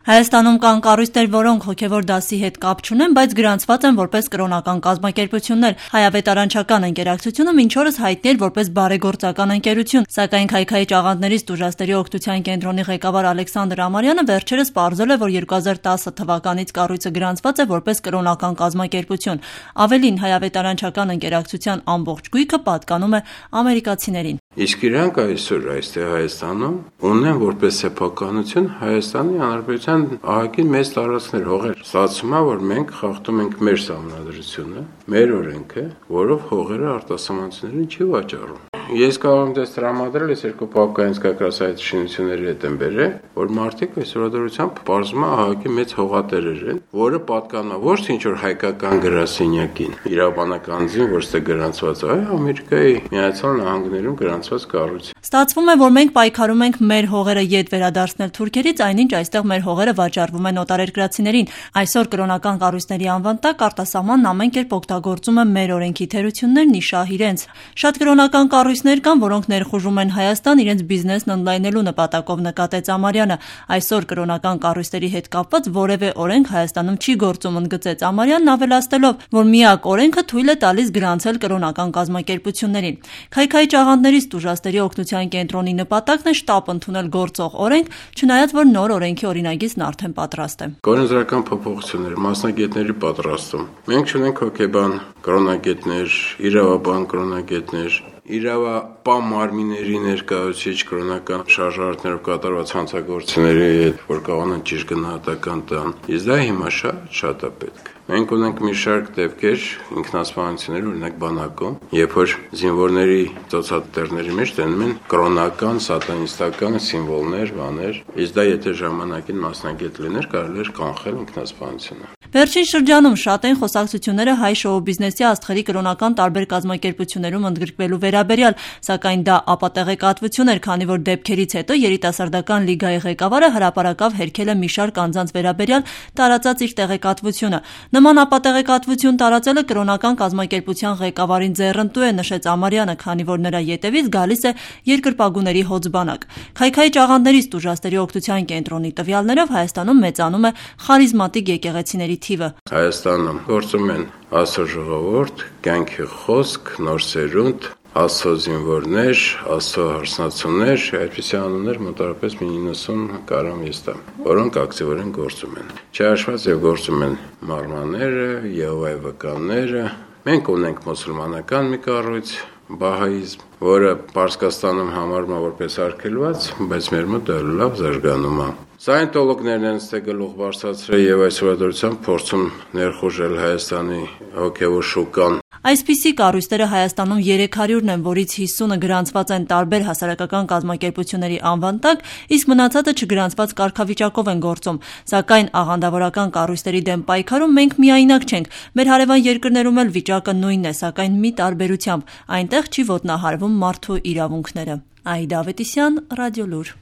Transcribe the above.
Հայաստանում կան կառույցներ, որոնք հոգևոր դասի հետ կապ չունեն, բայց գրանցված են որպես կրոնական կազմակերպություններ։ Հայավետարանչական ընկերակցությունը մինչ օրս հայտնի էր որպես բարեգործական ընկերություն, սակայն Քայքայիչ աղանդներից տուժածների օգնության կենտրոնի ղեկավար Ալեքսանդր Ամարյանը վերջերս պարզել է, որ 2010 թվականից կառույցը գրանցված է որպես կրոնական կազմակերպություն։ Ավելին, հայավետարանչական ընկերակցության ամբողջ գույքը պատկանում է ամերիկացիներին։ Իսկ իրանք այսօր այստեղ Հայաստանում ունեն որպես սեփականություն Հայաստանի Հանրապետության ահագին մեծ տարածքներ, հողեր։ Ստացվում է, որ մենք խախտում ենք մեր սահմանադրությունը, մեր օրենքը, որով հողերը արտասահմանցիներին չի վաճառում։ Ես կարող եմ դες տրամադրել, ես երկու պապկայից կակրաս այդ շինությունների հետ եմ բերել, որ մարդիկ այս օրադրությամբ պարզվում է ահագին մեծ հողատերեր են, որը պատկանա ոչ թե ինչ-որ հայկական գրասենյակին, իրավաբանականին, որ ստե գրանցված է, Ամերիկայի Միացյալ Նահանգներում գրանցված կառույց։ Ստացվում է, որ մենք պայքարում ենք մեր հողերը ետ վերադարձնել թուրքերից, այնինչ այստեղ մեր հողերը վաճառվում են օտարերկրացիներին։ Այսօր կրոնական կառույցների անվան տակ արտասահմանն ամեն կերպ օգտագործում է մեր օրենքի թերություններն ի շահ իրենց։ Շատ կրոնական կառույցներ կան, որոնք ներխուժում են Հայաստան իրենց բիզնեսն ընդլայնելու նպատակով, նկատեց Ամարյանը։ Այսօր կրոնական կառույցների հետ կապված որևէ օրենք Հայաստանում չի գործում, ընդգծեց Ամարյանն, ավելացնելով, որ միակ օրենքը թույլ է տալիս գրանցել կրոնական կազմակերպություններին։ Քայքայիչ աղանդներից տուժածների օգնության կենտրոնի նպատակն է շտապ ընդունել գործող օրենք, չնայած որ նոր օրենքի օրինագիծն արդեն պատրաստ է։ Կորոնզրական փոփոխություններ, մասնագետների պատրաստում։ Մենք ունենք հոգեբան կրոնագետներ, իրավաբան կրոնագետներ, իրավապահ մարմինների ներկայացուցիչ կրոնական շարժարարներով կատարված հանցագործությունների հետ, որ կարողանան ճիշտ գնահատական տան։ Իսկ դա հիմա շատ է պետք։ Մենք ունենք մի շարք դեպքեր ինքնասպանությունների, օրինակ բանակում, երբ որ զինվորների ծոցատերների մեջ դնում են կրոնական, սատանիստական սիմվոլներ, բաներ, իսկ դա եթե ժամանակին մասնագետ լիներ, կարելի էր կանխել ինքնասպանությունը։ Վերջին շրջանում շատ են խոսակցությունները հայ շոու բիզնեսի աստղերի կրոնական տարբեր կազմակերպություններում ընդգրկվելու վերաբերյալ, սակայն դա ապատեղեկատվություն էր, քանի որ դեպքերից հետո երիտասարդական լիգայի ղեկավարը հրապարակավ հերքել է մի շարք անձանց վերաբերյալ տարածած իր տեղեկատվությունը։ Նման ապատեղեկատվություն տարածելը կրոնական կազմակերպության ղեկավարին ձեռնտու է, նշեց Ամարյանը, քանի որ նրա ետևից գալիս է երկրպագուների հոձբանակ։ Քայքայիչ աղանդներից տուժածների օգնության կենտրոնի տվյալներով Հայաստանում մեծանում է խարիզմատիկ եկեղեցիների թիվը։ Հայաստանում գործում են Աստծո ժողովուրդ, կյանքի խոսք, նոր սերունդ, Աստծո զինվորներ, Աստծո հարսնացուներ, այդպիսի անուններ մոտավորապես մի 90 կարամ ես տամ, որոնք ակտիվորեն գործում են։ Չհաշված եւ գործում են մարմաները, Եհովայի վկաները։ Մենք ունենք մուսուլմանական մի կառույց, Բահաիզմ, որը Պարսկաստանում համարվում է որպես արգելված, բայց մեր մոտ դա լավ զարգանում է։ Սայենտոլոգներն են ստե գլուխ բարձրացրել եւ այս օրադրությամբ փորձում ներխուժել Հայաստանի հոգեվոր շուկան։ Այսպիսի կառույցները Հայաստանում 300-ն են, որից 50-ը գրանցված են տարբեր հասարակական կազմակերպությունների անվան տակ, իսկ մնացածը չգրանցված կարգավիճակով են գործում։ Սակայն աղանդավորական կառույցների դեմ պայքարում մենք միայնակ չենք։ Մեր հարևան երկրներում էլ վիճակը նույնն է, սակայն մի տարբերությամբ՝ այնտեղ չի ոտնահարվում մարդու իրավունքները։ Այդա Ավետիսյան, Ռադիոլուր։